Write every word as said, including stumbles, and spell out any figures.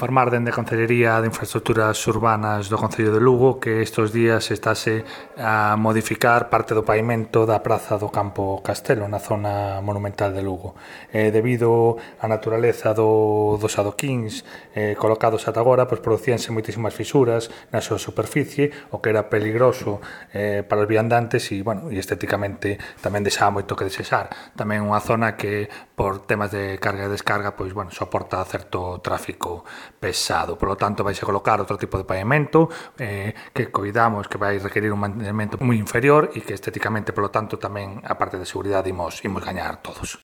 informar dende a Concellería de Infraestructuras Urbanas do Concello de Lugo que estes días estáse a modificar parte do pavimento da praza do Campo Castelo na zona monumental de Lugo. Eh, debido á naturaleza do, dos adoquíns eh, colocados ata agora, pois producíanse moitísimas fisuras na súa superficie, o que era peligroso eh, para os viandantes e, bueno, e estéticamente tamén deixaba moito que desexar. Tamén unha zona que, por temas de carga e descarga, pois, bueno, soporta certo tráfico pesado. Por lo tanto, vais a colocar outro tipo de pavimento eh, que coidamos que vai requerir un mantenimento moi inferior e que estéticamente, por lo tanto, tamén a parte de seguridade imos, imos gañar todos.